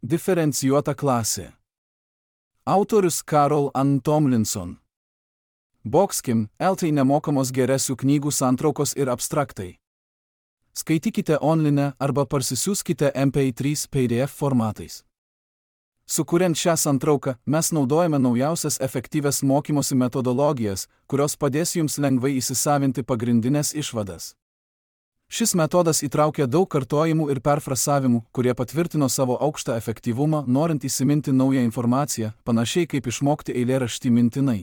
Diferencijuota klasė. Autorius Carol Ann Tomlinson. Boxkim, LT nemokamos geresių knygų santraukos ir abstraktai. Skaitykite online arba parsisiųskite MP3 PDF formatais. Sukuriant šią santrauką, mes naudojame naujausias efektyvias mokymosi metodologijas, kurios padės jums lengvai įsisavinti pagrindinės išvadas. Šis metodas įtraukia daug kartojimų ir perfrasavimų, kurie patvirtino savo aukštą efektyvumą, norint įsiminti naują informaciją, panašiai kaip išmokti eilėraštį mintinai.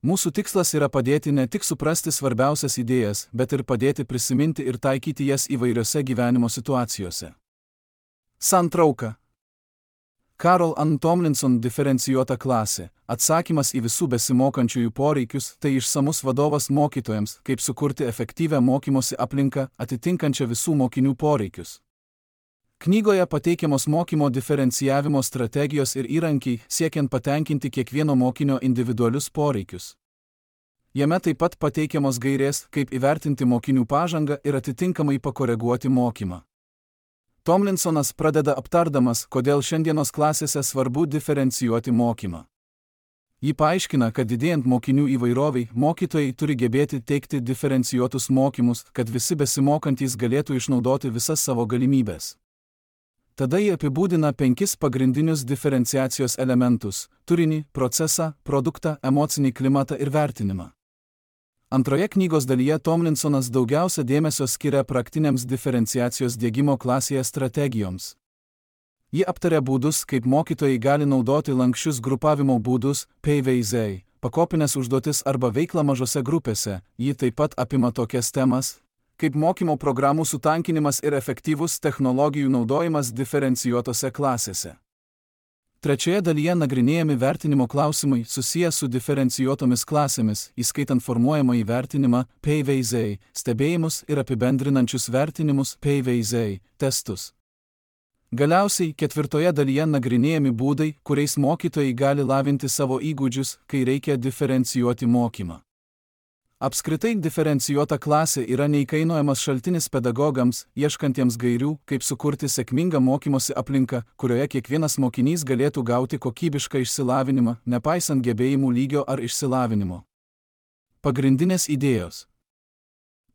Mūsų tikslas yra padėti ne tik suprasti svarbiausias idėjas, bet ir padėti prisiminti ir taikyti jas įvairiose gyvenimo situacijose. Santrauka. Carol Ann Tomlinson diferencijuota klasė. Atsakymas į visų besimokančiųjų poreikius - tai išsamus vadovas mokytojams, kaip sukurti efektyvią mokymosi aplinką, atitinkančią visų mokinių poreikius. Knygoje pateikiamos mokymo diferencijavimo strategijos ir įrankiai, siekiant patenkinti kiekvieno mokinio individualius poreikius. Jame taip pat pateikiamos gairės, kaip įvertinti mokinių pažangą ir atitinkamai pakoreguoti mokymą. Tomlinsonas pradeda aptardamas, kodėl šiandienos klasėse svarbu diferencijuoti mokymą. Ji paaiškina, kad didėjant mokinių įvairoviai, mokytojai turi gebėti teikti diferencijuotus mokymus, kad visi besimokantys galėtų išnaudoti visas savo galimybės. Tada ji apibūdina 5 pagrindinius diferenciacijos elementus - turinį, procesą, produktą, emocinį klimatą ir vertinimą. Antroje knygos dalyje Tomlinsonas daugiausia dėmesio skiria praktiniams diferenciacijos diegimo klasėje strategijoms. Ji aptaria būdus, kaip mokytojai gali naudoti lanksčius grupavimo būdus, PVZ, pakopinės užduotis arba veiklą mažose grupėse. Ji taip pat apima tokias temas, kaip mokymo programų sutankinimas ir efektyvus technologijų naudojimas diferencijuotose klasėse. Trečioje dalyje nagrinėjami vertinimo klausimai susiję su diferencijuotomis klasėmis, įskaitant formuojamąjį vertinimą, PVZ, stebėjimus ir apibendrinančius vertinimus, PVZ, testus. Galiausiai, ketvirtoje dalyje nagrinėjami būdai, kuriais mokytojai gali lavinti savo įgūdžius, kai reikia diferencijuoti mokymą. Apskritai diferencijuota klasė yra neįkainojamas šaltinis pedagogams, ieškantiems gairių, kaip sukurti sėkmingą mokymosi aplinką, kurioje kiekvienas mokinys galėtų gauti kokybišką išsilavinimą, nepaisant gebėjimų lygio ar išsilavinimo. Pagrindinės idėjos.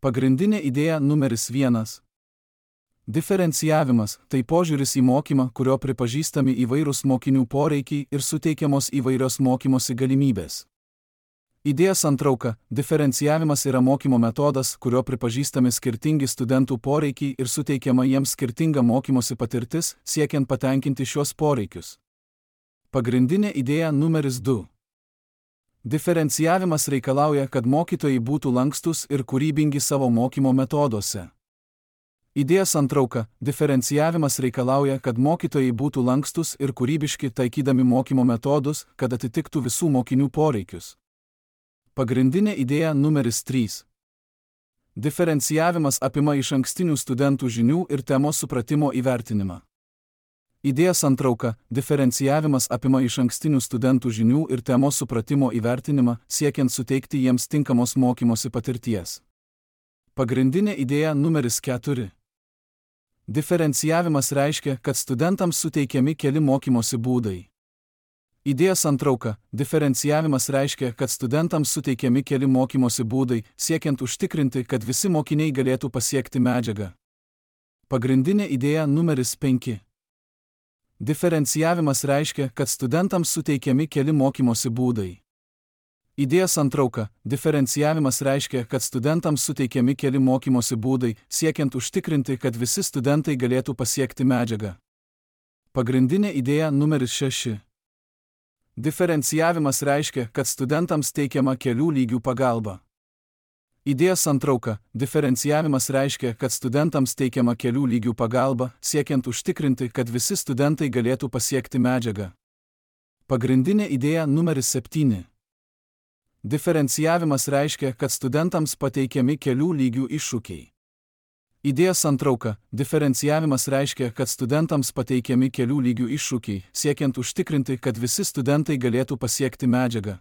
Pagrindinė idėja numeris 1. Diferencijavimas – tai požiūris į mokymą, kurio pripažįstami įvairūs mokinių poreikiai ir suteikiamos įvairios mokymosi galimybės. Idėja santrauka – diferencijavimas yra mokymo metodas, kurio pripažįstami skirtingi studentų poreikiai ir suteikiama jiems skirtinga mokymosi patirtis, siekiant patenkinti šiuos poreikius. Pagrindinė idėja numeris 2. Diferencijavimas reikalauja, kad mokytojai būtų lankstus ir kūrybingi savo mokymo metoduose. Idėja santrauka – diferencijavimas reikalauja, kad mokytojai būtų lankstus ir kūrybiški taikydami mokymo metodus, kad atitiktų visų mokinių poreikius. Pagrindinė idėja numeris 3. Diferencijavimas apima išankstinių studentų žinių ir temos supratimo įvertinimą. Idėja santrauka – diferencijavimas apima išankstinių studentų žinių ir temos supratimo įvertinimą, siekiant suteikti jiems tinkamos mokymosi patirties. Pagrindinė idėja numeris 4. Diferencijavimas reiškia, kad studentams suteikiami keli mokymosi būdai. Idėja santrauka – diferencijavimas reiškia, kad studentams suteikiami keli mokymosi būdai, siekiant užtikrinti, kad visi mokiniai galėtų pasiekti medžiagą. Pagrindinė idėja numeris 5. Diferencijavimas reiškia, kad studentams suteikiami keli mokymosi būdai. Idėja santrauka – diferencijavimas reiškia, kad studentams suteikiami keli mokymosi būdai, siekiant užtikrinti, kad visi studentai galėtų pasiekti medžiagą. Pagrindinė idėja numeris 6. Diferencijavimas reiškia, kad studentams teikiama kelių lygių pagalba. Idėja santrauka – diferencijavimas reiškia, kad studentams teikiama kelių lygių pagalba, siekiant užtikrinti, kad visi studentai galėtų pasiekti medžiagą. Pagrindinė idėja numeris 7. Diferencijavimas reiškia, kad studentams pateikiami kelių lygių iššūkiai. Idėja santrauka – diferencijavimas reiškia, kad studentams pateikiami kelių lygių iššūkiai, siekiant užtikrinti, kad visi studentai galėtų pasiekti medžiagą.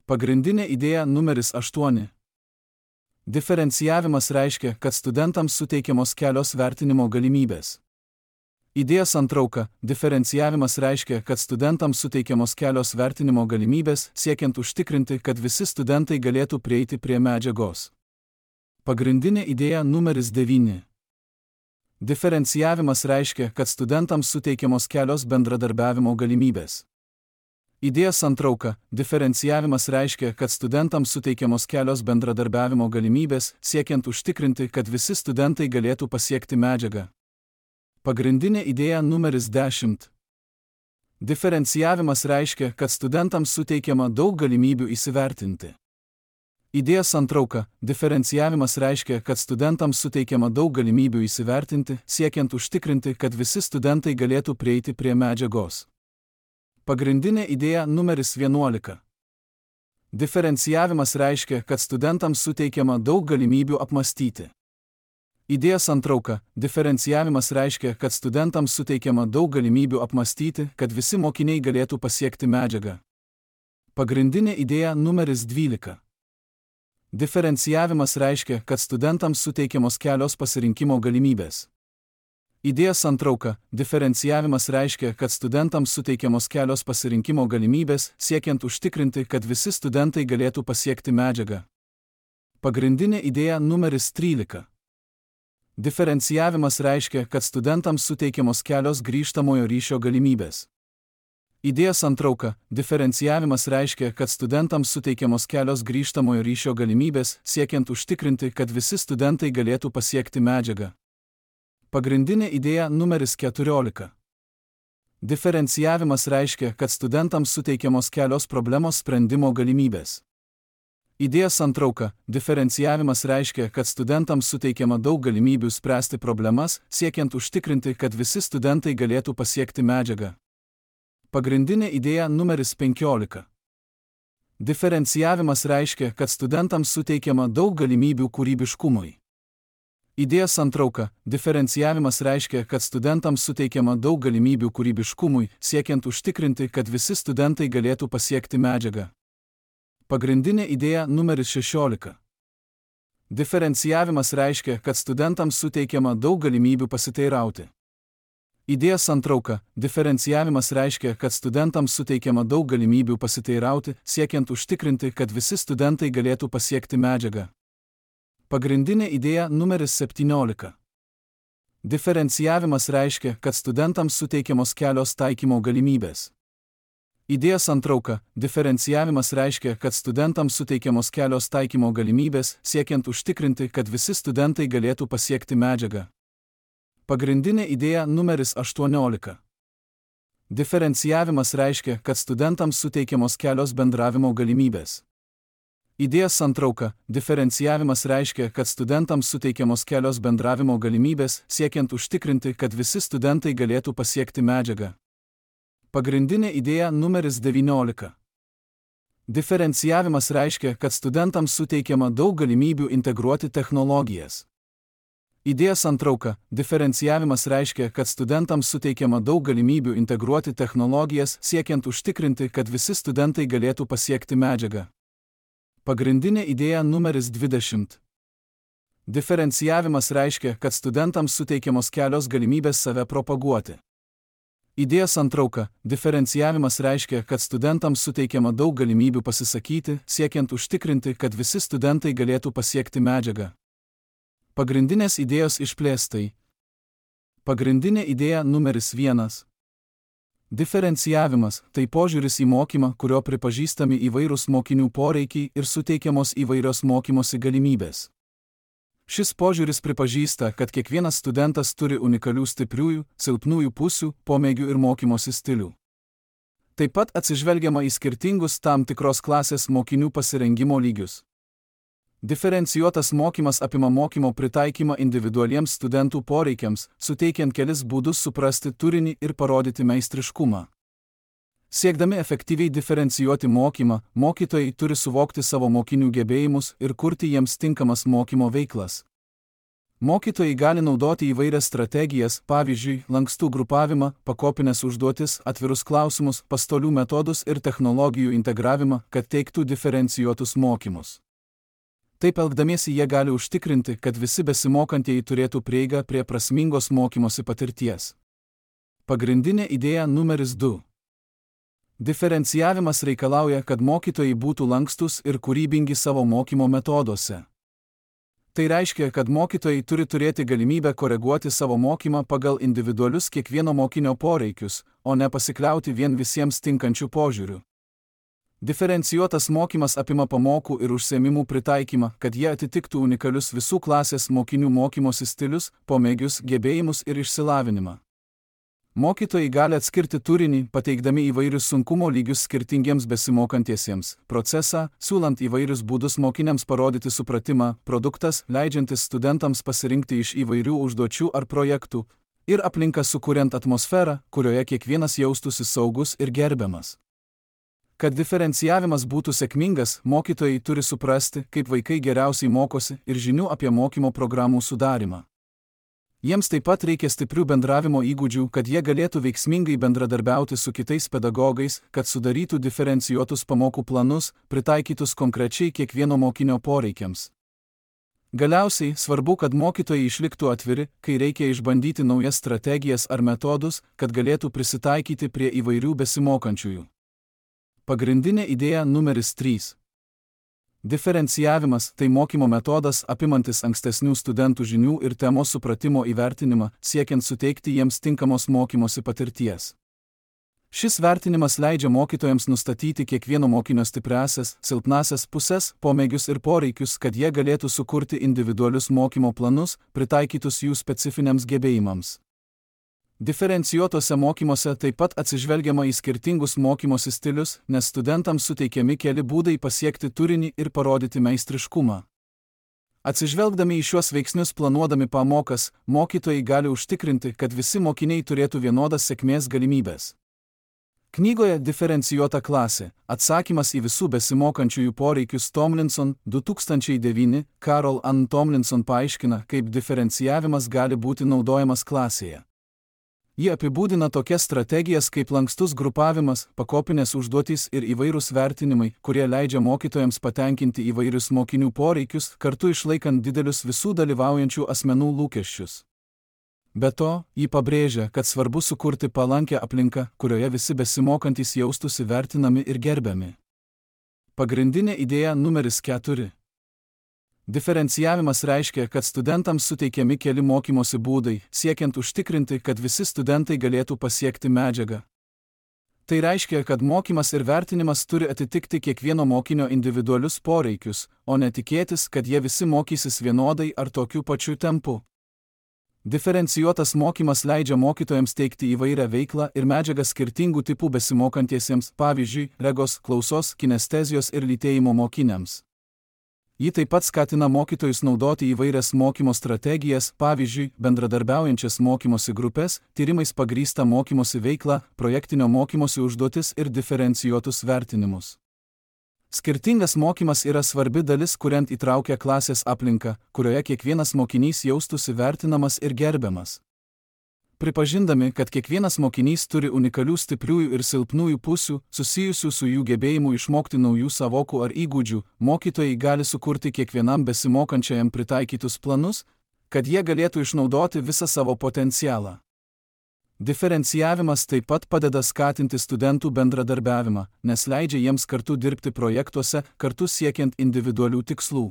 Pagrindinė idėja numeris 8. Diferencijavimas reiškia, kad studentams suteikiamos kelios vertinimo galimybės. Idėjos santrauka. Diferencijavimas reiškia, kad studentams suteikiamos kelios vertinimo galimybės, siekiant užtikrinti, kad visi studentai galėtų prieiti prie medžiagos. Pagrindinė idėja numeris 9. Diferencijavimas reiškia, kad studentams suteikiamos kelios bendradarbiavimo galimybės. Idėjos santrauka. Diferencijavimas reiškia, kad studentams suteikiamos kelios bendradarbiavimo galimybės, siekiant užtikrinti, kad visi studentai galėtų pasiekti medžiagą. Pagrindinė idėja numeris 10. Diferencijavimas reiškia, kad studentams suteikiama daug galimybių įsivertinti. Idėjos santrauka. Diferencijavimas reiškia, kad studentams suteikiama daug galimybių įsivertinti, siekiant užtikrinti, kad visi studentai galėtų prieiti prie medžiagos. Pagrindinė idėja numeris 11. Diferencijavimas reiškia, kad studentams suteikiama daug galimybių apmąstyti. Idėjos santrauka. Diferencijavimas reiškia, kad studentams suteikiama daug galimybių apmąstyti, kad visi mokiniai galėtų pasiekti medžiagą. Pagrindinė idėja numeris 12. Diferencijavimas reiškia, kad studentams suteikiamos kelios pasirinkimo galimybės. Idėjos santrauka. Diferencijavimas reiškia, kad studentams suteikiamos kelios pasirinkimo galimybės, siekiant užtikrinti, kad visi studentai galėtų pasiekti medžiagą. Pagrindinė idėja numeris 13. Diferencijavimas reiškia, kad studentams suteikiamos kelios grįžtamojo ryšio galimybės. Idėjos santrauka. Diferencijavimas reiškia, kad studentams suteikiamos kelios grįžtamojo ryšio galimybės, siekiant užtikrinti, kad visi studentai galėtų pasiekti medžiagą. Pagrindinė idėja numeris 14. Diferencijavimas reiškia, kad studentams suteikiamos kelios problemos sprendimo galimybės. Idėjos santrauka. Diferencijavimas reiškia, kad studentams suteikiama daug galimybių spręsti problemas, siekiant užtikrinti, kad visi studentai galėtų pasiekti medžiagą. Pagrindinė idėja numeris 15. Diferencijavimas reiškia, kad studentams suteikiama daug galimybių kūrybiškumui. Idėjos santrauka. Diferencijavimas reiškia, kad studentams suteikiama daug galimybių kūrybiškumui, siekiant užtikrinti, kad visi studentai galėtų pasiekti medžiagą. Pagrindinė idėja numeris 16. Diferencijavimas reiškia, kad studentams suteikiama daug galimybių pasiteirauti. Idėjos santrauka. Diferencijavimas reiškia, kad studentams suteikiama daug galimybių pasiteirauti, siekiant užtikrinti, kad visi studentai galėtų pasiekti medžiagą. Pagrindinė idėja numeris 17. Diferencijavimas reiškia, kad studentams suteikiamos kelios taikymo galimybės. Idėjos santrauka. Diferencijavimas reiškia, kad studentams suteikiamos kelios taikymo galimybės, siekiant užtikrinti, kad visi studentai galėtų pasiekti medžiagą. Pagrindinė idėja numeris 18. Diferencijavimas reiškia, kad studentams suteikiamos kelios bendravimo galimybės. Idėjos santrauka. Diferencijavimas reiškia, kad studentams suteikiamos kelios bendravimo galimybės, siekiant užtikrinti, kad visi studentai galėtų pasiekti medžiagą. Pagrindinė idėja numeris 19. Diferencijavimas reiškia, kad studentams suteikiama daug galimybių integruoti technologijas. Idėjos santrauka. Diferencijavimas reiškia, kad studentams suteikiama daug galimybių integruoti technologijas, siekiant užtikrinti, kad visi studentai galėtų pasiekti medžiagą. Pagrindinė idėja numeris 20. Diferencijavimas reiškia, kad studentams suteikiamos kelios galimybės save propaguoti. Idėjos santrauka. Diferencijavimas reiškia, kad studentams suteikiama daug galimybių pasisakyti, siekiant užtikrinti, kad visi studentai galėtų pasiekti medžiagą. Pagrindinės idėjos išplėstai. Pagrindinė idėja numeris 1. Diferencijavimas – tai požiūris į mokymą, kurio pripažįstami įvairūs mokinių poreikiai ir suteikiamos įvairios mokymosi galimybės. Šis požiūris pripažįsta, kad kiekvienas studentas turi unikalių stipriųjų, silpnųjų pusių, pomėgių ir mokymosi stilių. Taip pat atsižvelgiama į skirtingus tam tikros klasės mokinių pasirengimo lygius. Diferencijuotas mokymas apima mokymo pritaikymą individualiems studentų poreikiams, suteikiant kelis būdus suprasti turinį ir parodyti meistriškumą. Siekdami efektyviai diferencijuoti mokymą, mokytojai turi suvokti savo mokinių gebėjimus ir kurti jiems tinkamas mokymo veiklas. Mokytojai gali naudoti įvairias strategijas, pavyzdžiui, lankstų grupavimą, pakopinės užduotis, atvirus klausimus, pastolių metodus ir technologijų integravimą, kad teiktų diferencijuotus mokymus. Taip elgdamiesi jie gali užtikrinti, kad visi besimokantieji turėtų prieigą prie prasmingos mokymosi patirties. Pagrindinė idėja numeris 2. Diferencijavimas reikalauja, kad mokytojai būtų lankstus ir kūrybingi savo mokymo metoduose. Tai reiškia, kad mokytojai turi turėti galimybę koreguoti savo mokymą pagal individualius kiekvieno mokinio poreikius, o ne pasikliauti vien visiems tinkančių požiūrių. Diferencijuotas mokymas apima pamokų ir užsiėmimų pritaikymą, kad jie atitiktų unikalius visų klasės mokinių mokymosi stilius, pomėgius, gebėjimus ir išsilavinimą. Mokytojai gali atskirti turinį, pateikdami įvairius sunkumo lygius skirtingiems besimokantiesiems, procesą, siūlant įvairius būdus mokiniams parodyti supratimą, produktas, leidžiantis studentams pasirinkti iš įvairių užduočių ar projektų, ir aplinka sukuriant atmosferą, kurioje kiekvienas jaustųsi saugus ir gerbiamas. Kad diferencijavimas būtų sėkmingas, mokytojai turi suprasti, kaip vaikai geriausiai mokosi ir žinių apie mokymo programų sudarimą. Jiems taip pat reikia stiprių bendravimo įgūdžių, kad jie galėtų veiksmingai bendradarbiauti su kitais pedagogais, kad sudarytų diferencijuotus pamokų planus, pritaikytus konkrečiai kiekvieno mokinio poreikiams. Galiausiai, svarbu, kad mokytojai išliktų atviri, kai reikia išbandyti naujas strategijas ar metodus, kad galėtų prisitaikyti prie įvairių besimokančiųjų. Pagrindinė idėja numeris 3. Diferencijavimas – tai mokymo metodas apimantis ankstesnių studentų žinių ir temos supratimo įvertinimą, siekiant suteikti jiems tinkamos mokymosi patirties. Šis vertinimas leidžia mokytojams nustatyti kiekvieno mokinio stipriąsias, silpnąsias puses, pomėgius ir poreikius, kad jie galėtų sukurti individualius mokymo planus, pritaikytus jų specifiniams gebėjimams. Diferencijuotose mokymuose taip pat atsižvelgiama į skirtingus mokymosi stilius, nes studentams suteikiami keli būdai pasiekti turinį ir parodyti meistriškumą. Atsižvelgdami į šiuos veiksnius planuodami pamokas, mokytojai gali užtikrinti, kad visi mokiniai turėtų vienodas sėkmės galimybės. Knygoje Diferencijuota klasė – atsakymas į visų besimokančiųjų poreikius Tomlinson 2009 Carol Ann Tomlinson paaiškina, kaip diferencijavimas gali būti naudojamas klasėje. Ji apibūdina tokias strategijas kaip lankstus grupavimas, pakopinės užduotys ir įvairūs vertinimai, kurie leidžia mokytojams patenkinti įvairius mokinių poreikius, kartu išlaikant didelius visų dalyvaujančių asmenų lūkesčius. Be to, ji pabrėžia, kad svarbu sukurti palankią aplinką, kurioje visi besimokantys jaustųsi vertinami ir gerbiami. Pagrindinė idėja numeris 4. Diferencijavimas reiškia, kad studentams suteikiami keli mokymosi būdai, siekiant užtikrinti, kad visi studentai galėtų pasiekti medžiagą. Tai reiškia, kad mokymas ir vertinimas turi atitikti kiekvieno mokinio individualius poreikius, o ne tikėtis, kad jie visi mokysis vienodai ar tokiu pačiu tempu. Diferencijuotas mokymas leidžia mokytojams teikti įvairią veiklą ir medžiagą skirtingų tipų besimokantiesiems, pavyzdžiui, regos, klausos, kinestezijos ir lytėjimo mokiniams. Ji taip pat skatina mokytojus naudoti įvairias mokymo strategijas, pavyzdžiui, bendradarbiaujančias mokymosi grupės, tyrimais pagrįstą mokymosi veiklą, projektinio mokymosi užduotis ir diferencijuotus vertinimus. Skirtingas mokymas yra svarbi dalis, kuriant įtraukią klasės aplinką, kurioje kiekvienas mokinys jaustųsi vertinamas ir gerbiamas. Pripažindami, kad kiekvienas mokinys turi unikalių stipriųjų ir silpnųjų pusių, susijusių su jų gebėjimu išmokti naujų savokų ar įgūdžių, mokytojai gali sukurti kiekvienam besimokančiajam pritaikytus planus, kad jie galėtų išnaudoti visą savo potencialą. Diferencijavimas taip pat padeda skatinti studentų bendradarbiavimą, nes leidžia jiems kartu dirbti projektuose, kartu siekiant individualių tikslų.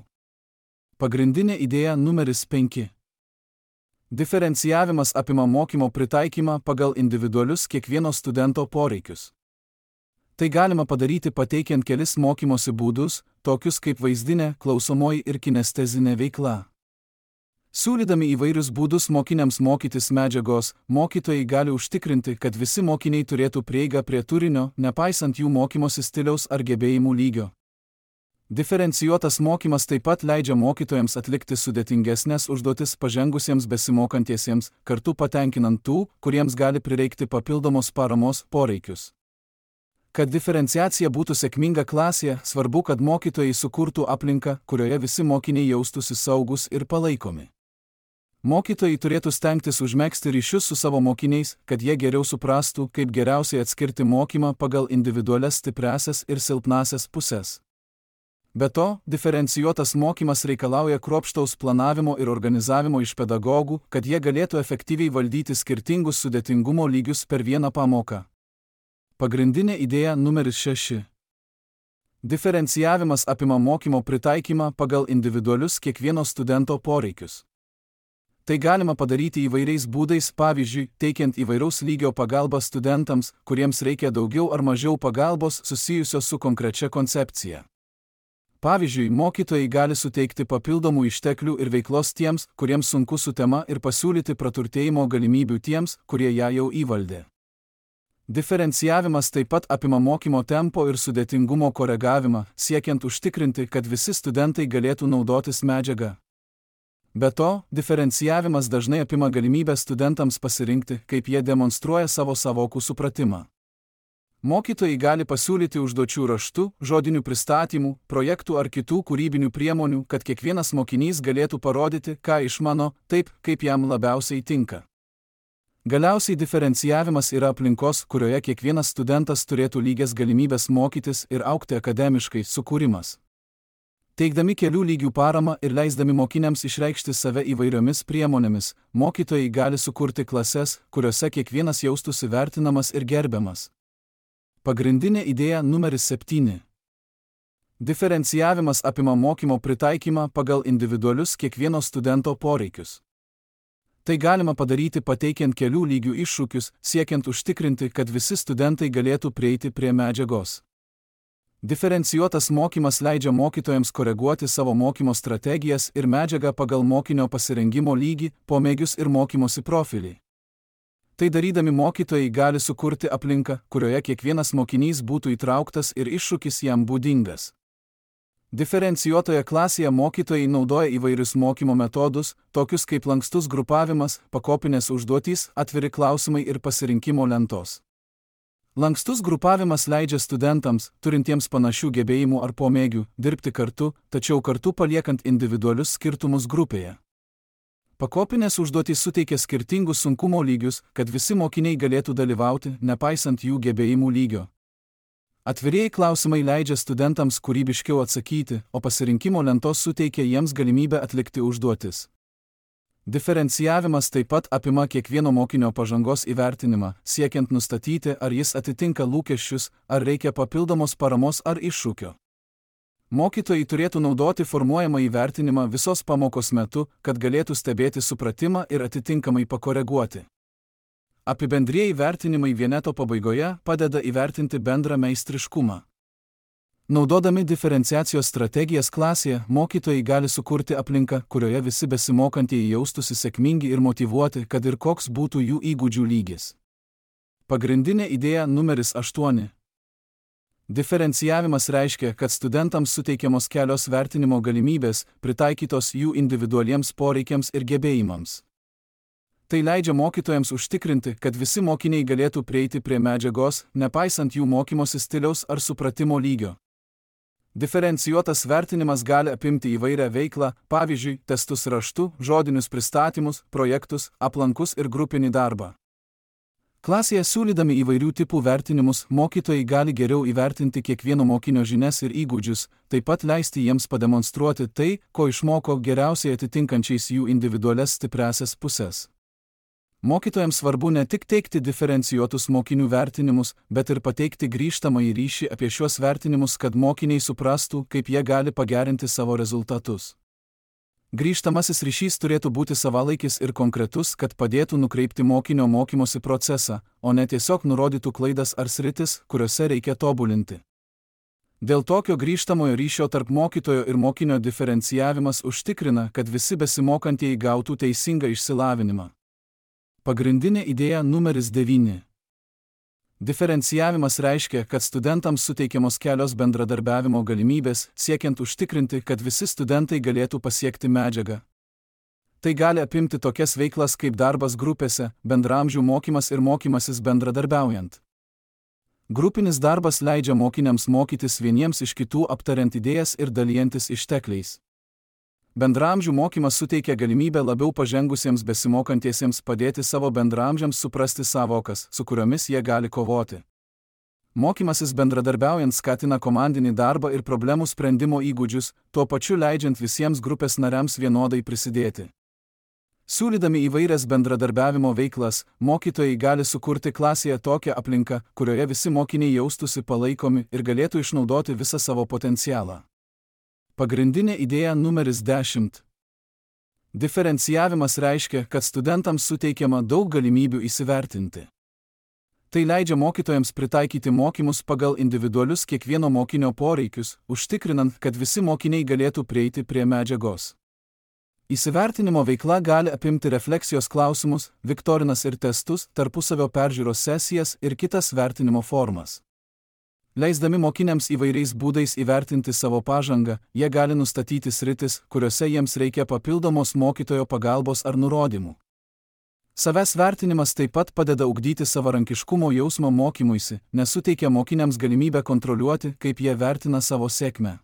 Pagrindinė idėja numeris 5. Diferencijavimas apima mokymo pritaikymą pagal individualius kiekvieno studento poreikius. Tai galima padaryti pateikiant kelis mokymosi būdus, tokius kaip vaizdinė, klausomoji ir kinestezinė veikla. Siūlydami įvairius būdus mokiniams mokytis medžiagos, mokytojai gali užtikrinti, kad visi mokiniai turėtų prieigą prie turinio, nepaisant jų mokymosi stiliaus ar gebėjimų lygio. Diferencijuotas mokymas taip pat leidžia mokytojams atlikti sudėtingesnės užduotis pažengusiems besimokantiesiems, kartu patenkinant tų, kuriems gali prireikti papildomos paramos poreikius. Kad diferenciacija būtų sėkminga klasėje, svarbu, kad mokytojai sukurtų aplinką, kurioje visi mokiniai jaustųsi saugus ir palaikomi. Mokytojai turėtų stengtis užmegzti ryšius su savo mokiniais, kad jie geriau suprastų, kaip geriausiai atskirti mokymą pagal individualias stipriąsias ir silpnąsias puses. Be to, diferencijuotas mokymas reikalauja kruopštaus planavimo ir organizavimo iš pedagogų, kad jie galėtų efektyviai valdyti skirtingus sudėtingumo lygius per vieną pamoką. Pagrindinė idėja numeris 6. Diferencijavimas apima mokymo pritaikymą pagal individualius kiekvieno studento poreikius. Tai galima padaryti įvairiais būdais, pavyzdžiui, teikiant įvairaus lygio pagalbą studentams, kuriems reikia daugiau ar mažiau pagalbos susijusios su konkrečia koncepcija. Pavyzdžiui, mokytojai gali suteikti papildomų išteklių ir veiklos tiems, kuriems sunku su tema ir pasiūlyti praturtėjimo galimybių tiems, kurie ją jau įvaldė. Diferencijavimas taip pat apima mokymo tempo ir sudėtingumo koregavimą, siekiant užtikrinti, kad visi studentai galėtų naudotis medžiaga. Be to, diferencijavimas dažnai apima galimybę studentams pasirinkti, kaip jie demonstruoja savo savokų supratimą. Mokytojai gali pasiūlyti užduočių raštu, žodinių pristatymų, projektų ar kitų kūrybinių priemonių, kad kiekvienas mokinys galėtų parodyti, ką išmano, taip, kaip jam labiausiai tinka. Galiausiai diferencijavimas yra aplinkos, kurioje kiekvienas studentas turėtų lygias galimybės mokytis ir augti akademiškai, sukūrimas. Teikdami kelių lygių paramą ir leisdami mokiniams išreikšti save įvairiomis priemonėmis, mokytojai gali sukurti klases, kuriuose kiekvienas jaustųsi vertinamas ir gerbiamas. Pagrindinė idėja numeris 7. Diferencijavimas apima mokymo pritaikymą pagal individualius kiekvieno studento poreikius. Tai galima padaryti pateikiant kelių lygių iššūkius, siekiant užtikrinti, kad visi studentai galėtų prieiti prie medžiagos. Diferencijuotas mokymas leidžia mokytojams koreguoti savo mokymo strategijas ir medžiagą pagal mokinio pasirengimo lygį, pomėgius ir mokymosi profilį. Tai darydami mokytojai gali sukurti aplinką, kurioje kiekvienas mokinys būtų įtrauktas ir iššūkis jam būdingas. Diferencijuotoje klasėje mokytojai naudoja įvairius mokymo metodus, tokius kaip lankstus grupavimas, pakopinės užduotys, atviri klausimai ir pasirinkimo lentos. Lankstus grupavimas leidžia studentams, turintiems panašių gebėjimų ar pomėgių, dirbti kartu, tačiau kartu paliekant individualius skirtumus grupėje. Pakopinės užduotys suteikia skirtingus sunkumo lygius, kad visi mokiniai galėtų dalyvauti, nepaisant jų gebėjimų lygio. Atvirieji klausimai leidžia studentams kūrybiškiau atsakyti, o pasirinkimo lentos suteikia jiems galimybę atlikti užduotis. Diferencijavimas taip pat apima kiekvieno mokinio pažangos įvertinimą, siekiant nustatyti, ar jis atitinka lūkesčius, ar reikia papildomos paramos ar iššūkio. Mokytojai turėtų naudoti formuojamą įvertinimą visos pamokos metu, kad galėtų stebėti supratimą ir atitinkamai pakoreguoti. Apibendrieji vertinimai vieneto pabaigoje padeda įvertinti bendrą meistriškumą. Naudodami diferenciacijos strategijas klasėje, mokytojai gali sukurti aplinką, kurioje visi besimokantieji jaustųsi sėkmingi ir motyvuoti, kad ir koks būtų jų įgūdžių lygis. Pagrindinė idėja numeris 8. Diferencijavimas reiškia, kad studentams suteikiamos kelios vertinimo galimybės, pritaikytos jų individualiems poreikiams ir gebėjimams. Tai leidžia mokytojams užtikrinti, kad visi mokiniai galėtų prieiti prie medžiagos, nepaisant jų mokymosi stiliaus ar supratimo lygio. Diferencijuotas vertinimas gali apimti įvairią veiklą, pavyzdžiui, testus raštu, žodinius pristatymus, projektus, aplankus ir grupinį darbą. Klasėje siūlydami įvairių tipų vertinimus, mokytojai gali geriau įvertinti kiekvieno mokinio žinias ir įgūdžius, taip pat leisti jiems pademonstruoti tai, ko išmoko geriausiai atitinkančiais jų individualias stipriąsias pusės. Mokytojams svarbu ne tik teikti diferencijuotus mokinių vertinimus, bet ir pateikti grįžtamąjį ryšį apie šiuos vertinimus, kad mokiniai suprastų, kaip jie gali pagerinti savo rezultatus. Grįžtamasis ryšys turėtų būti savalaikis ir konkretus, kad padėtų nukreipti mokinio mokymosi procesą, o ne tiesiog nurodytų klaidas ar sritis, kuriuose reikia tobulinti. Dėl tokio grįžtamojo ryšio tarp mokytojo ir mokinio diferencijavimas užtikrina, kad visi besimokantieji gautų teisingą išsilavinimą. Pagrindinė idėja numeris 9. Diferencijavimas reiškia, kad studentams suteikiamos kelios bendradarbiavimo galimybės, siekiant užtikrinti, kad visi studentai galėtų pasiekti medžiagą. Tai gali apimti tokias veiklas kaip darbas grupėse, bendraamžių mokymas ir mokymasis bendradarbiaujant. Grupinis darbas leidžia mokiniams mokytis vieniems iš kitų, aptariant idėjas ir dalijantis ištekliais. Bendraamžių mokymas suteikia galimybę labiau pažengusiems besimokantiesiems padėti savo bendraamžiams suprasti savokas, su kuriomis jie gali kovoti. Mokymasis bendradarbiaujant skatina komandinį darbą ir problemų sprendimo įgūdžius, tuo pačiu leidžiant visiems grupės nariams vienodai prisidėti. Siūlydami įvairias bendradarbiavimo veiklas, mokytojai gali sukurti klasėje tokią aplinką, kurioje visi mokiniai jaustųsi palaikomi ir galėtų išnaudoti visą savo potencialą. Pagrindinė idėja numeris 10. Diferencijavimas reiškia, kad studentams suteikiama daug galimybių įsivertinti. Tai leidžia mokytojams pritaikyti mokymus pagal individualius kiekvieno mokinio poreikius, užtikrinant, kad visi mokiniai galėtų prieiti prie medžiagos. Įsivertinimo veikla gali apimti refleksijos klausimus, viktorinas ir testus, tarpusavio peržiūros sesijas ir kitas vertinimo formas. Leisdami mokiniams įvairiais būdais įvertinti savo pažangą, jie gali nustatyti sritis, kuriuose jiems reikia papildomos mokytojo pagalbos ar nurodymų. Savęs vertinimas taip pat padeda ugdyti savarankiškumo jausmą mokymuisi, nes suteikia mokiniams galimybę kontroliuoti, kaip jie vertina savo sėkmę.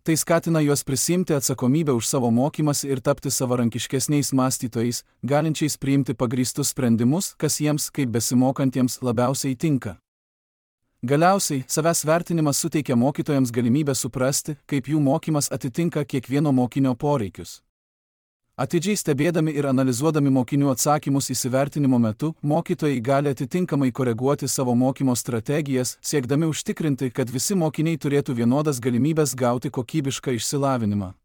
Tai skatina juos prisiimti atsakomybę už savo mokymąsi ir tapti savarankiškesniais mąstytojais, galinčiais priimti pagrįstus sprendimus, kas jiems, kaip besimokantiems, labiausiai tinka. Galiausiai, savęs vertinimas suteikia mokytojams galimybę suprasti, kaip jų mokymas atitinka kiekvieno mokinio poreikius. Atidžiai stebėdami ir analizuodami mokinių atsakymus įsivertinimo metu, mokytojai gali atitinkamai koreguoti savo mokymo strategijas, siekdami užtikrinti, kad visi mokiniai turėtų vienodas galimybės gauti kokybišką išsilavinimą.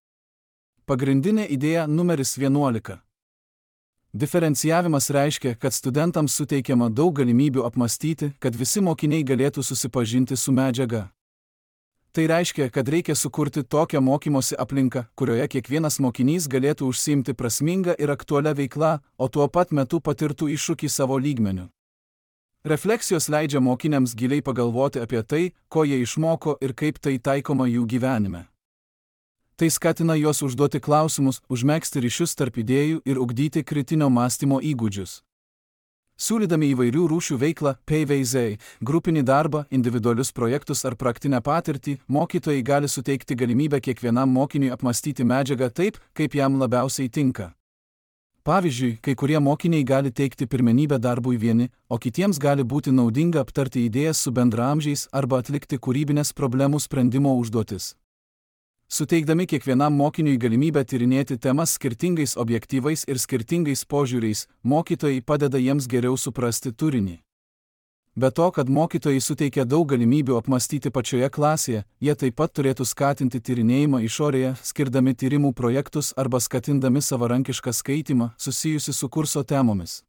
Pagrindinė idėja numeris 11. Diferencijavimas reiškia, kad studentams suteikiama daug galimybių apmastyti, kad visi mokiniai galėtų susipažinti su medžiaga. Tai reiškia, kad reikia sukurti tokią mokymosi aplinką, kurioje kiekvienas mokinys galėtų užsiimti prasmingą ir aktualią veiklą, o tuo pat metu patirtų iššūkį savo lygmeniu. Refleksijos leidžia mokiniams giliai pagalvoti apie tai, ko jie išmoko ir kaip tai taikoma jų gyvenime. Tai skatina juos užduoti klausimus, užmegzti ryšius tarp idėjų ir ugdyti kritinio mąstymo įgūdžius. Siūlydami įvairių rūšių veiklą, PVZ, grupinį darbą, individualius projektus ar praktinę patirtį, mokytojai gali suteikti galimybę kiekvienam mokiniui apmastyti medžiagą taip, kaip jam labiausiai tinka. Pavyzdžiui, kai kurie mokiniai gali teikti pirmenybę darbui vieni, o kitiems gali būti naudinga aptarti idėjas su bendraamžiais arba atlikti kūrybinės problemų sprendimo užduotis. Suteikdami kiekvienam mokiniui galimybę tyrinėti temas skirtingais objektyvais ir skirtingais požiūriais, mokytojai padeda jiems geriau suprasti turinį. Be to, kad mokytojai suteikia daug galimybių apmastyti pačioje klasėje, jie taip pat turėtų skatinti tyrinėjimą išorėje, skirdami tyrimų projektus arba skatindami savarankišką skaitymą, susijusi su kurso temomis.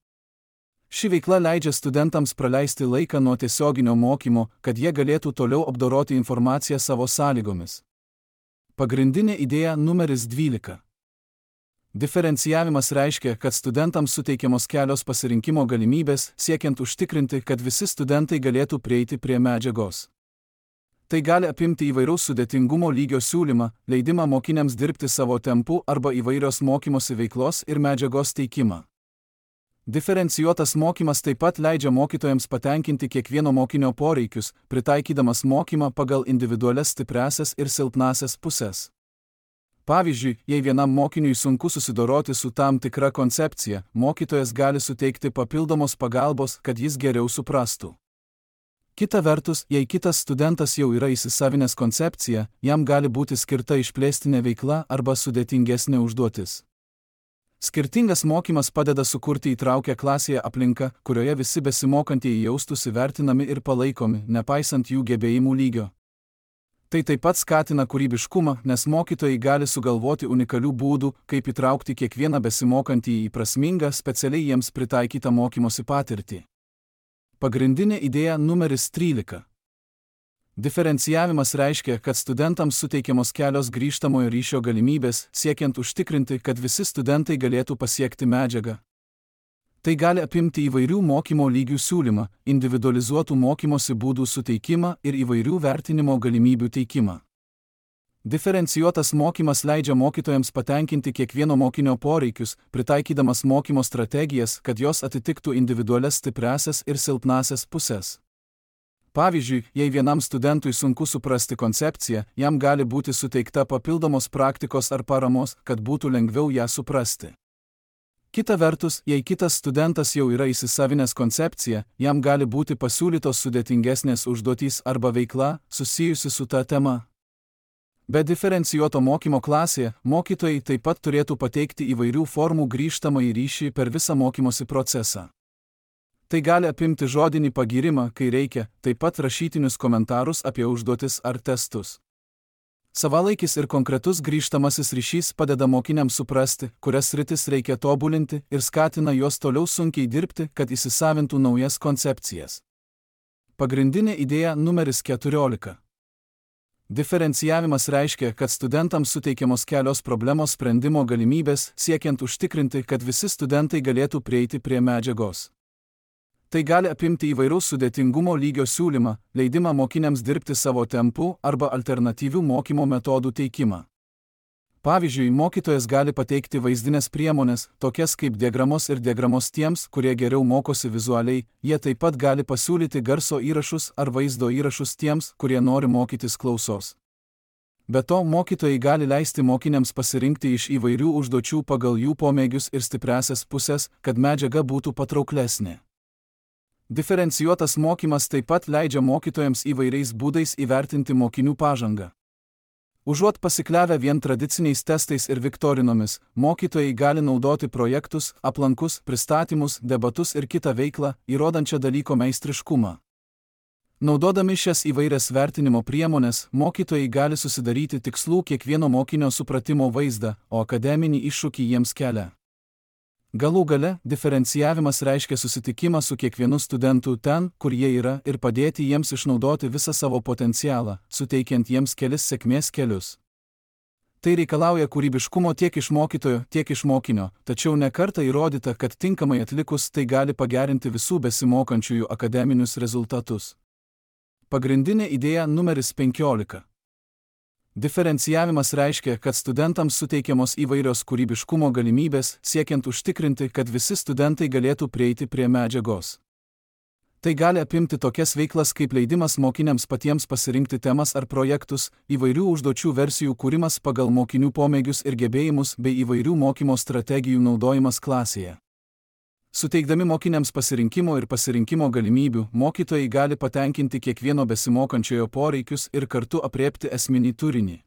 Ši veikla leidžia studentams praleisti laiką nuo tiesioginio mokymo, kad jie galėtų toliau apdoroti informaciją savo sąlygomis. Pagrindinė idėja numeris 12. Diferencijavimas reiškia, kad studentams suteikiamos kelios pasirinkimo galimybės, siekiant užtikrinti, kad visi studentai galėtų prieiti prie medžiagos. Tai gali apimti įvairaus sudėtingumo lygio siūlymą, leidimą mokiniams dirbti savo tempu arba įvairios mokymosi veiklos ir medžiagos teikimą. Diferencijuotas mokymas taip pat leidžia mokytojams patenkinti kiekvieno mokinio poreikius, pritaikydamas mokymą pagal individualias stipriąsias ir silpnąsias puses. Pavyzdžiui, jei vienam mokiniui sunku susidoroti su tam tikra koncepcija, mokytojas gali suteikti papildomos pagalbos, kad jis geriau suprastų. Kita vertus, jei kitas studentas jau yra įsisavinęs koncepciją, jam gali būti skirta išplėstinė veikla arba sudėtingesnė užduotis. Skirtingas mokymas padeda sukurti įtraukę klasėje aplinką, kurioje visi besimokantieji jaustųsi vertinami ir palaikomi, nepaisant jų gebėjimų lygio. Tai taip pat skatina kūrybiškumą, nes mokytojai gali sugalvoti unikalių būdų, kaip įtraukti kiekvieną besimokantįjį į prasmingą, specialiai jiems pritaikytą mokymosi patirtį. Pagrindinė idėja numeris 13. Diferencijavimas reiškia, kad studentams suteikiamos kelios grįžtamojo ryšio galimybės, siekiant užtikrinti, kad visi studentai galėtų pasiekti medžiagą. Tai gali apimti įvairių mokymo lygių siūlymą, individualizuotų mokymosi būdų suteikimą ir įvairių vertinimo galimybių teikimą. Diferencijuotas mokymas leidžia mokytojams patenkinti kiekvieno mokinio poreikius, pritaikydamas mokymo strategijas, kad jos atitiktų individualias stipriąsias ir silpnąsias puses. Pavyzdžiui, jei vienam studentui sunku suprasti koncepciją, jam gali būti suteikta papildomos praktikos ar paramos, kad būtų lengviau ją suprasti. Kita vertus, jei kitas studentas jau yra įsisavinęs koncepciją, jam gali būti pasiūlytos sudėtingesnės užduotys arba veikla susijusi su ta tema. Be diferencijuoto mokymo klasėje, mokytojai taip pat turėtų pateikti įvairių formų grįžtamąjį ryšį per visą mokymosi procesą. Tai gali apimti žodinį pagyrimą, kai reikia, taip pat rašytinius komentarus apie užduotis ar testus. Savalaikis ir konkretus grįžtamasis ryšys padeda mokiniams suprasti, kurias sritis reikia tobulinti ir skatina juos toliau sunkiai dirbti, kad įsisavintų naujas koncepcijas. Pagrindinė idėja numeris 14. Diferencijavimas reiškia, kad studentams suteikiamos kelios problemos sprendimo galimybės, siekiant užtikrinti, kad visi studentai galėtų prieiti prie medžiagos. Tai gali apimti įvairaus sudėtingumo lygio siūlymą, leidimą mokiniams dirbti savo tempu arba alternatyvių mokymo metodų teikimą. Pavyzdžiui, mokytojas gali pateikti vaizdinės priemonės, tokias kaip diagramos ir diagramos tiems, kurie geriau mokosi vizualiai, jie taip pat gali pasiūlyti garso įrašus ar vaizdo įrašus tiems, kurie nori mokytis klausos. Be to, mokytojai gali leisti mokiniams pasirinkti iš įvairių užduočių pagal jų pomėgius ir stipriąsias pusės, kad medžiaga būtų patrauklesnė. Diferencijuotas mokymas taip pat leidžia mokytojams įvairiais būdais įvertinti mokinių pažangą. Užuot pasikliavę vien tradiciniais testais ir viktorinomis, mokytojai gali naudoti projektus, aplankus, pristatymus, debatus ir kitą veiklą, įrodančią dalyko meistriškumą. Naudodami šias įvairias vertinimo priemonės, mokytojai gali susidaryti tikslų kiekvieno mokinio supratimo vaizdą, o akademinį iššūkį jiems kelia. Galų gale, diferencijavimas reiškia susitikimą su kiekvienu studentu ten, kur jie yra, ir padėti jiems išnaudoti visą savo potencialą, suteikiant jiems kelis sėkmės kelius. Tai reikalauja kūrybiškumo tiek iš mokytojo, tiek iš mokinio, tačiau ne kartą įrodyta, kad tinkamai atlikus tai gali pagerinti visų besimokančiųjų akademinius rezultatus. Pagrindinė idėja numeris 15. Diferencijavimas reiškia, kad studentams suteikiamos įvairios kūrybiškumo galimybės, siekiant užtikrinti, kad visi studentai galėtų prieiti prie medžiagos. Tai gali apimti tokias veiklas kaip leidimas mokiniams patiems pasirinkti temas ar projektus, įvairių užduočių versijų kūrimas pagal mokinių pomėgius ir gebėjimus bei įvairių mokymo strategijų naudojimas klasėje. Suteikdami mokiniams pasirinkimo ir pasirinkimo galimybių, mokytojai gali patenkinti kiekvieno besimokančiojo poreikius ir kartu aprėpti esminį turinį.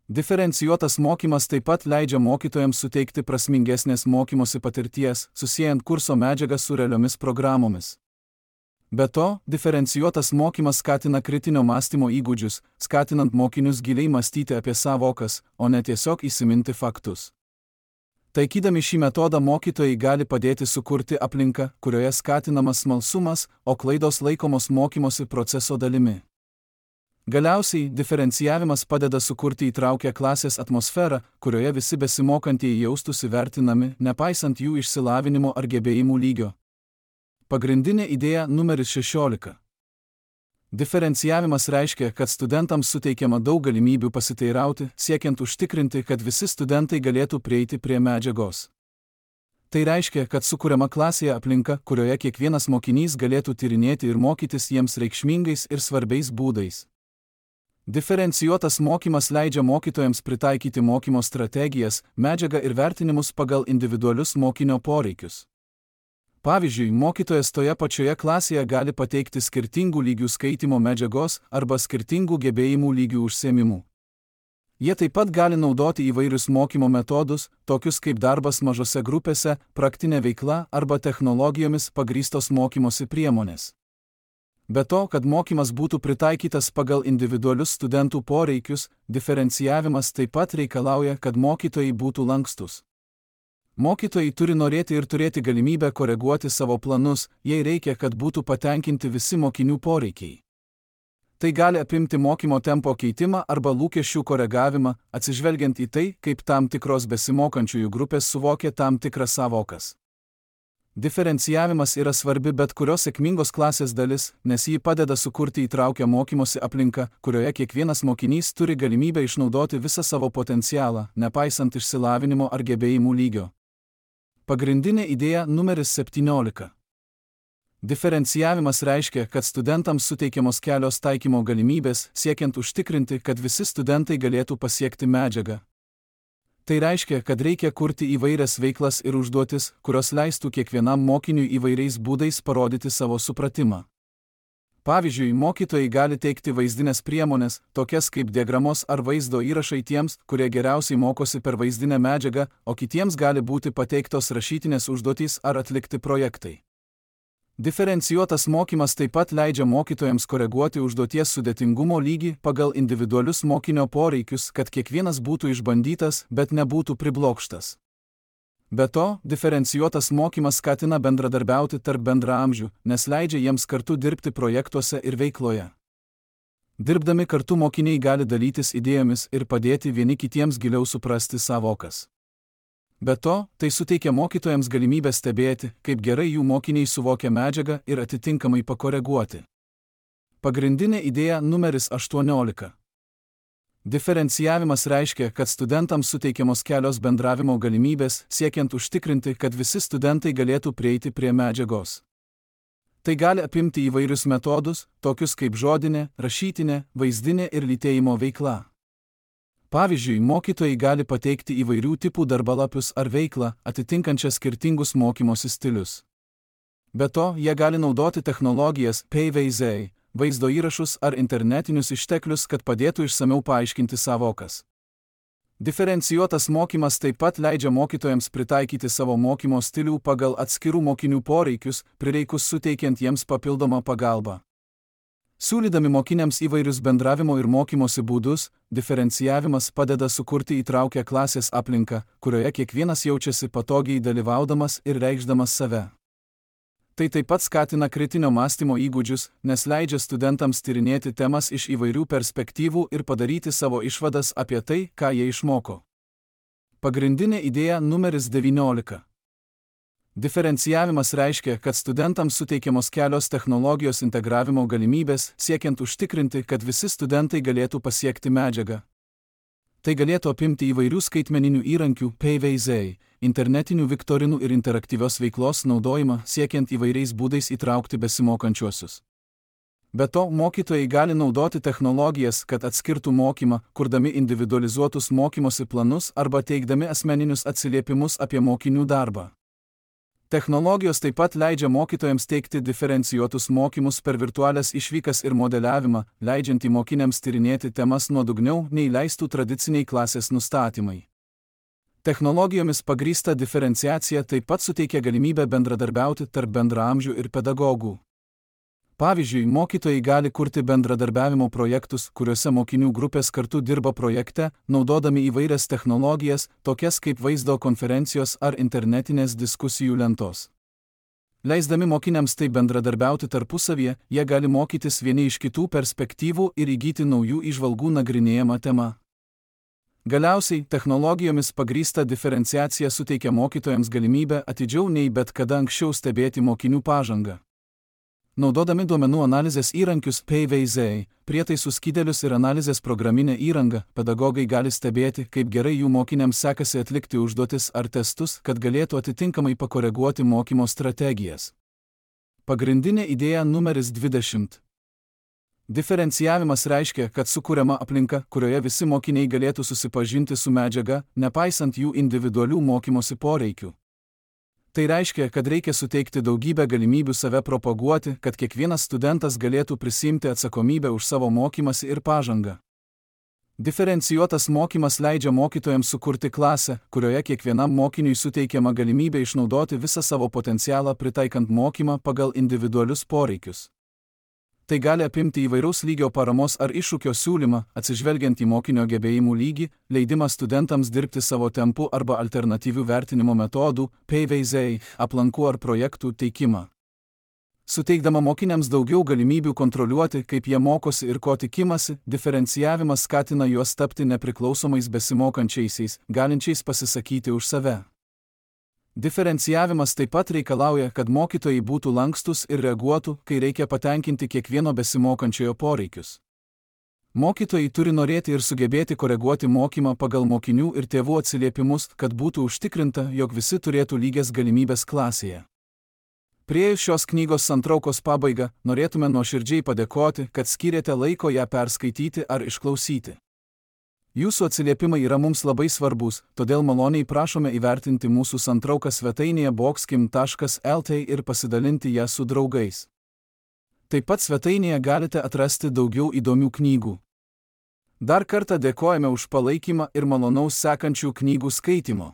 Diferencijuotas mokymas taip pat leidžia mokytojams suteikti prasmingesnės mokymosi patirties, susiejant kurso medžiagą su realiomis programomis. Be to, diferencijuotas mokymas skatina kritinio mąstymo įgūdžius, skatinant mokinius giliai mąstyti apie sąvokas, o ne tiesiog įsiminti faktus. Taikydami šį metodą mokytojai gali padėti sukurti aplinką, kurioje skatinamas smalsumas, o klaidos laikomos mokymosi proceso dalimi. Galiausiai, diferencijavimas padeda sukurti įtraukę klasės atmosferą, kurioje visi besimokantieji jaustųsi vertinami, nepaisant jų išsilavinimo ar gebėjimų lygio. Pagrindinė idėja numeris 16. Diferencijavimas reiškia, kad studentams suteikiama daug galimybių pasiteirauti, siekiant užtikrinti, kad visi studentai galėtų prieiti prie medžiagos. Tai reiškia, kad sukuriama klasėje aplinka, kurioje kiekvienas mokinys galėtų tyrinėti ir mokytis jiems reikšmingais ir svarbiais būdais. Diferencijuotas mokymas leidžia mokytojams pritaikyti mokymo strategijas, medžiagą ir vertinimus pagal individualius mokinio poreikius. Pavyzdžiui, mokytojas toje pačioje klasėje gali pateikti skirtingų lygių skaitymo medžiagos arba skirtingų gebėjimų lygių užsiėmimų. Jie taip pat gali naudoti įvairius mokymo metodus, tokius kaip darbas mažose grupėse, praktinė veikla arba technologijomis pagrįstos mokymosi priemonės. Be to, kad mokymas būtų pritaikytas pagal individualius studentų poreikius, diferencijavimas taip pat reikalauja, kad mokytojai būtų lankstus. Mokytojai turi norėti ir turėti galimybę koreguoti savo planus, jei reikia, kad būtų patenkinti visi mokinių poreikiai. Tai gali apimti mokymo tempo keitimą arba lūkesčių koregavimą, atsižvelgiant į tai, kaip tam tikros besimokančiųjų grupės suvokia tam tikras sąvokas. Diferencijavimas yra svarbi bet kurios sėkmingos klasės dalis, nes ji padeda sukurti įtraukę mokymosi aplinką, kurioje kiekvienas mokinys turi galimybę išnaudoti visą savo potencialą, nepaisant išsilavinimo ar gebėjimų lygio. Pagrindinė idėja numeris 17. Diferencijavimas reiškia, kad studentams suteikiamos kelios taikymo galimybės, siekiant užtikrinti, kad visi studentai galėtų pasiekti medžiagą. Tai reiškia, kad reikia kurti įvairias veiklas ir užduotis, kurios leistų kiekvienam mokiniui įvairiais būdais parodyti savo supratimą. Pavyzdžiui, mokytojai gali teikti vaizdinės priemonės, tokias kaip diagramos ar vaizdo įrašai tiems, kurie geriausiai mokosi per vaizdinę medžiagą, o kitiems gali būti pateiktos rašytinės užduotys ar atlikti projektai. Diferencijuotas mokymas taip pat leidžia mokytojams koreguoti užduoties sudėtingumo lygį pagal individualius mokinio poreikius, kad kiekvienas būtų išbandytas, bet nebūtų priblokštas. Be to, diferencijuotas mokymas skatina bendradarbiauti tarp bendraamžių, nes leidžia jiems kartu dirbti projektuose ir veikloje. Dirbdami kartu mokiniai gali dalytis idėjomis ir padėti vieni kitiems giliau suprasti savokas. Be to, tai suteikia mokytojams galimybę stebėti, kaip gerai jų mokiniai suvokia medžiagą ir atitinkamai pakoreguoti. Pagrindinė idėja numeris 18. Diferencijavimas reiškia, kad studentams suteikiamos kelios bendravimo galimybės, siekiant užtikrinti, kad visi studentai galėtų prieiti prie medžiagos. Tai gali apimti įvairius metodus, tokius kaip žodinė, rašytinė, vaizdinė ir lytėjimo veikla. Pavyzdžiui, mokytojai gali pateikti įvairių tipų darbalapius ar veiklą, atitinkančią skirtingus mokymosi stilius. Be to, jie gali naudoti technologijas, PVZ, vaizdo įrašus ar internetinius išteklius, kad padėtų išsamiau paaiškinti savokas. Diferencijuotas mokymas taip pat leidžia mokytojams pritaikyti savo mokymo stilių pagal atskirų mokinių poreikius, prireikus suteikiant jiems papildomą pagalbą. Siūlydami mokiniams įvairius bendravimo ir mokymosi būdus, diferencijavimas padeda sukurti įtraukią klasės aplinką, kurioje kiekvienas jaučiasi patogiai dalyvaudamas ir reikšdamas save. Tai taip pat skatina kritinio mąstymo įgūdžius, nes leidžia studentams tyrinėti temas iš įvairių perspektyvų ir padaryti savo išvadas apie tai, ką jie išmoko. Pagrindinė idėja numeris 19. Diferencijavimas reiškia, kad studentams suteikiamos kelios technologijos integravimo galimybės, siekiant užtikrinti, kad visi studentai galėtų pasiekti medžiagą. Tai galėtų apimti įvairių skaitmeninių įrankių, PVZ, internetinių viktorinų ir interaktyvios veiklos naudojimą, siekiant įvairiais būdais įtraukti besimokančiuosius. Be to, mokytojai gali naudoti technologijas, kad atskirtų mokymą, kurdami individualizuotus mokymosi planus arba teikdami asmeninius atsiliepimus apie mokinių darbą. Technologijos taip pat leidžia mokytojams teikti diferencijuotus mokymus per virtualias išvykas ir modeliavimą, leidžiantį mokiniams tyrinėti temas nuodugniau, nei leistų tradiciniai klasės nustatymai. Technologijomis pagrįsta diferenciacija taip pat suteikia galimybę bendradarbiauti tarp bendraamžių ir pedagogų. Pavyzdžiui, mokytojai gali kurti bendradarbiavimo projektus, kuriuose mokinių grupės kartu dirba projekte, naudodami įvairias technologijas, tokias kaip vaizdo konferencijos ar internetinės diskusijų lentos. Leisdami mokiniams taip bendradarbiauti tarpusavyje, jie gali mokytis vieni iš kitų perspektyvų ir įgyti naujų įžvalgų nagrinėjama tema. Galiausiai, technologijomis pagrįsta diferenciacija suteikia mokytojams galimybę atidžiau nei bet kada anksčiau stebėti mokinių pažangą. Naudodami duomenų analizės įrankius PVZ, prietaisų skydelius ir analizės programinę įrangą, pedagogai gali stebėti, kaip gerai jų mokiniams sekasi atlikti užduotis ar testus, kad galėtų atitinkamai pakoreguoti mokymo strategijas. Pagrindinė idėja numeris 20. Diferencijavimas reiškia, kad sukuriama aplinka, kurioje visi mokiniai galėtų susipažinti su medžiaga, nepaisant jų individualių mokymosi poreikių. Tai reiškia, kad reikia suteikti daugybę galimybių save propaguoti, kad kiekvienas studentas galėtų prisiimti atsakomybę už savo mokymąsi ir pažangą. Diferencijuotas mokymas leidžia mokytojams sukurti klasę, kurioje kiekvienam mokiniui suteikiama galimybė išnaudoti visą savo potencialą pritaikant mokymą pagal individualius poreikius. Tai gali apimti įvairaus lygio paramos ar iššūkio siūlymą, atsižvelgiant į mokinio gebėjimų lygį, leidimą studentams dirbti savo tempu arba alternatyvių vertinimo metodų, PVZ, aplankų ar projektų teikimą. Suteikdama mokiniams daugiau galimybių kontroliuoti, kaip jie mokosi ir ko tikimasi, diferencijavimas skatina juos tapti nepriklausomais besimokančiaisiais, galinčiais pasisakyti už save. Diferencijavimas taip pat reikalauja, kad mokytojai būtų lankstus ir reaguotų, kai reikia patenkinti kiekvieno besimokančiojo poreikius. Mokytojai turi norėti ir sugebėti koreguoti mokymą pagal mokinių ir tėvų atsiliepimus, kad būtų užtikrinta, jog visi turėtų lygias galimybės klasėje. Priėjus šios knygos santraukos pabaigą, norėtume nuoširdžiai padėkoti, kad skyrėte laiko ją perskaityti ar išklausyti. Jūsų atsiliepimai yra mums labai svarbus, todėl maloniai prašome įvertinti mūsų santrauką svetainėje boxkim.lt ir pasidalinti ją su draugais. Taip pat svetainėje galite atrasti daugiau įdomių knygų. Dar kartą dėkojame už palaikymą ir malonaus sekančių knygų skaitymo.